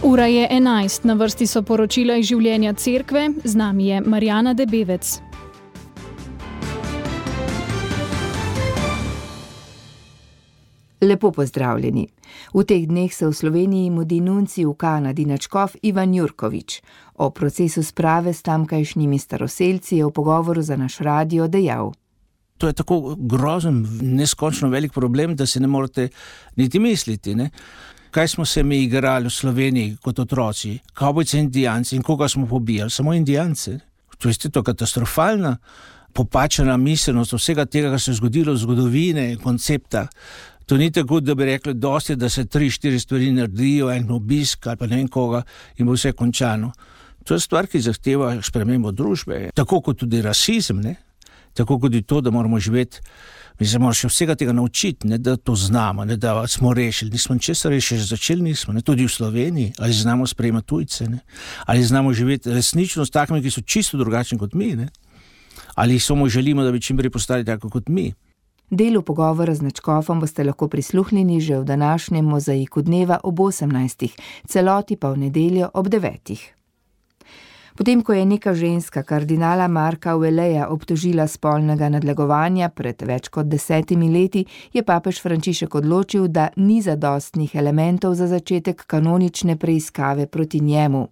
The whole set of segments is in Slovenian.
Ura je 11, na vrsti so poročila iz življenja cerkve, z nami je Marjana Debevec. Lepo pozdravljeni. V teh dneh se v Sloveniji mudi nuncij v Kanadi nadškof Ivan Jurkovič. O procesu sprave s tamkajšnjimi staroselci je v pogovoru za naš radio dejal. To je tako grozen, neskončno velik problem, da si ne morete niti misliti, ne? Kaj smo se mi igrali v Sloveniji kot otroci? Kavbojci in indijanci. In koga smo pobijali? Samo indijance. To je katastrofalna, popačena miselnost vsega tega, kar se je zgodilo v zgodovine, koncepta. To ni tako, da bi rekli, dosti, da se 3-4 stvari naredijo, en obisk ali pa ne vem koga in bo vse končano. To je stvar, ki zahteva spremembo družbe. Tako kot tudi rasizem, ne? Tako kot je to, da moramo živeti. Mi se moramo še vsega tega naučiti, ne, da to znamo, ne, da smo rešili. Nismo ničesar rešili, začeli nismo, ne, tudi v Sloveniji. Ali znamo sprejemati tujce, ne? Ali znamo živeti resnično s takimi, ki so čisto drugačni kot mi, ne? Ali samo želimo, da bi čim prej postali tako kot mi. Delu pogovora z nadškofom boste lahko prisluhnili že v današnjem mozaiku dneva ob 18, celoti pa v nedeljo ob 9. Potem, ko je neka ženska kardinala Marka Aurelija obtožila spolnega nadlegovanja pred več kot 10 leti, je papež Frančišek odločil, da ni zadostnih elementov za začetek kanonične preiskave proti njemu.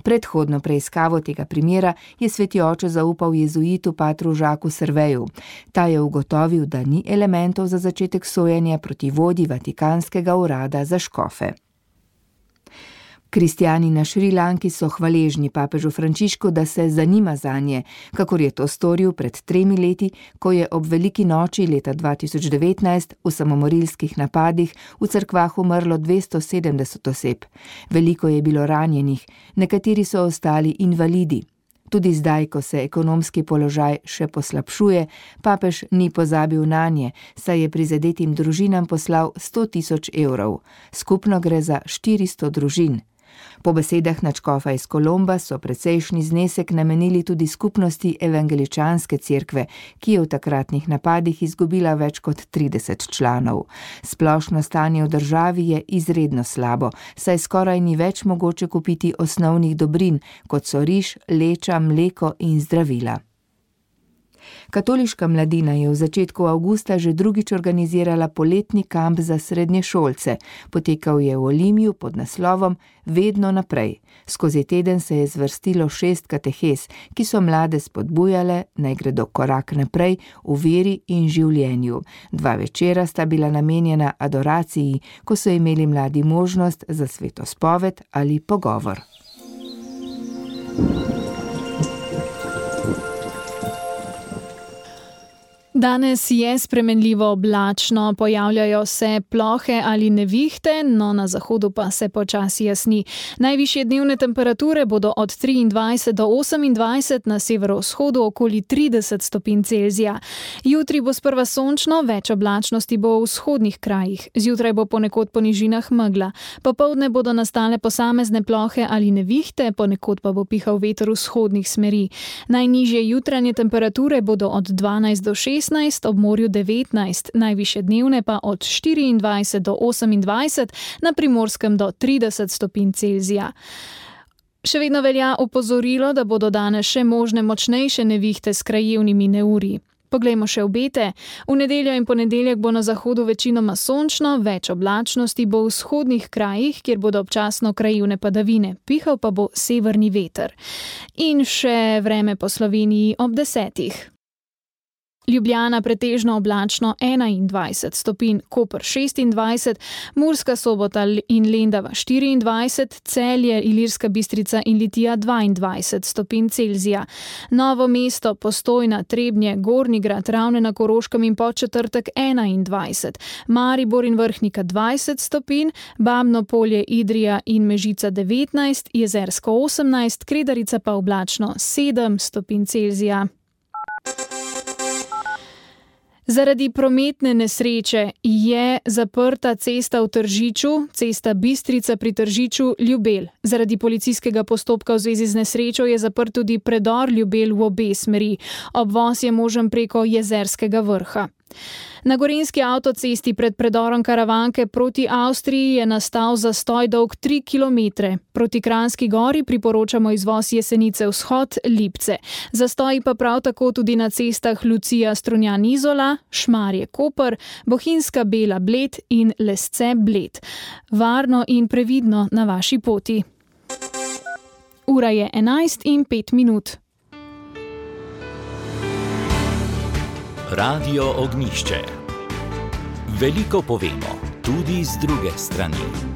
Predhodno preiskavo tega primera je sveti oče zaupal jezuitu patru Žaku Serveju. Ta je ugotovil, da ni elementov za začetek sojenja proti vodji Vatikanskega urada za škofe. Kristjani na Šrilanki so hvaležni papežu Frančišku, da se zanima zanje, kakor je to storil pred 3 leti, ko je ob veliki noči leta 2019 v samomorilskih napadih v cerkvah umrlo 270 oseb. Veliko je bilo ranjenih, nekateri so ostali invalidi. Tudi zdaj, ko se ekonomski položaj še poslabšuje, papež ni pozabil nanje, saj je prizadetim družinam poslal 100 000 evrov. Skupno gre za 400 družin. Po besedah nadškofa iz Kolomba so precejšnji znesek namenili tudi skupnosti evangeličanske cerkve, ki je v takratnih napadih izgubila več kot 30 članov. Splošno stanje v državi je izredno slabo, saj skoraj ni več mogoče kupiti osnovnih dobrin, kot so riž, leča, mleko in zdravila. Katoliška mladina je v začetku avgusta že drugič organizirala poletni kamp za srednješolce. Potekal je v Olimju pod naslovom Vedno naprej. Skozi teden se je zvrstilo 6 katehes, ki so mlade spodbujale, naj gredo korak naprej v veri in življenju. 2 večera sta bila namenjena adoraciji, ko so imeli mladi možnost za svetospoved ali pogovor. Danes je spremenljivo oblačno, pojavljajo se plohe ali nevihte, no na zahodu pa se počasi jasni. Najvišje dnevne temperature bodo od 23 do 28, na severovzhodu okoli 30 stopinj Celzija. Jutri bo sprva sončno, več oblačnosti bo v vzhodnih krajih. Zjutraj bo ponekod po nižinah megla. Popoldne bodo nastale posamezne plohe ali nevihte, ponekod pa bo pihal veter vzhodnih smeri. Najnižje jutranje temperature bodo od 12 do 16, ob morju 19, najvišje dnevne pa od 24 do 28, na Primorskem do 30 stopinj Celzija. Še vedno velja opozorilo, da bodo danes še možne močnejše nevihte s krajevnimi neurji. Poglejmo še obete. V nedeljo in ponedeljek bo na zahodu večinoma sončno, več oblačnosti bo v vzhodnih krajih, kjer bodo občasno krajevne padavine, pihal pa bo severni veter. In še vreme po Sloveniji ob 10. Ljubljana pretežno oblačno 21 stopinj, Koper 26, Murska Sobota in Lendava 24, Celje, Ilirska Bistrica in Litija 22 stopinj Celzija. Novo mesto, Postojna, Trebnje, Gornji Grad, Ravne na Koroškem in Podčetrtek 21, Maribor in Vrhnika 20 stopinj, Babno Polje, Idrija in Mežica 19, Jezersko 18, Kredarica pa oblačno 7 stopinj Celzija. Zaradi prometne nesreče je zaprta cesta v Tržiču, cesta Bistrica pri Tržiču Ljubelj. Zaradi policijskega postopka v zvezi z nesrečo je zaprt tudi predor Ljubelj v obe smeri. Obvoz je možen preko Jezerskega Vrha. Na gorenjski avtocesti pred predorom Karavanke proti Avstriji je nastal zastoj dolg 3 km. Proti Kranjski gori priporočamo izvoz Jesenice vzhod Lipce. Zastoji pa prav tako tudi na cestah Lucija Strunjan Izola, Šmarje Koper, Bohinjska Bela Bled in Lesce Bled. Varno in previdno na vaši poti. Ura je 11:05. Radio Ognjišče. Veliko povemo, tudi z druge strani.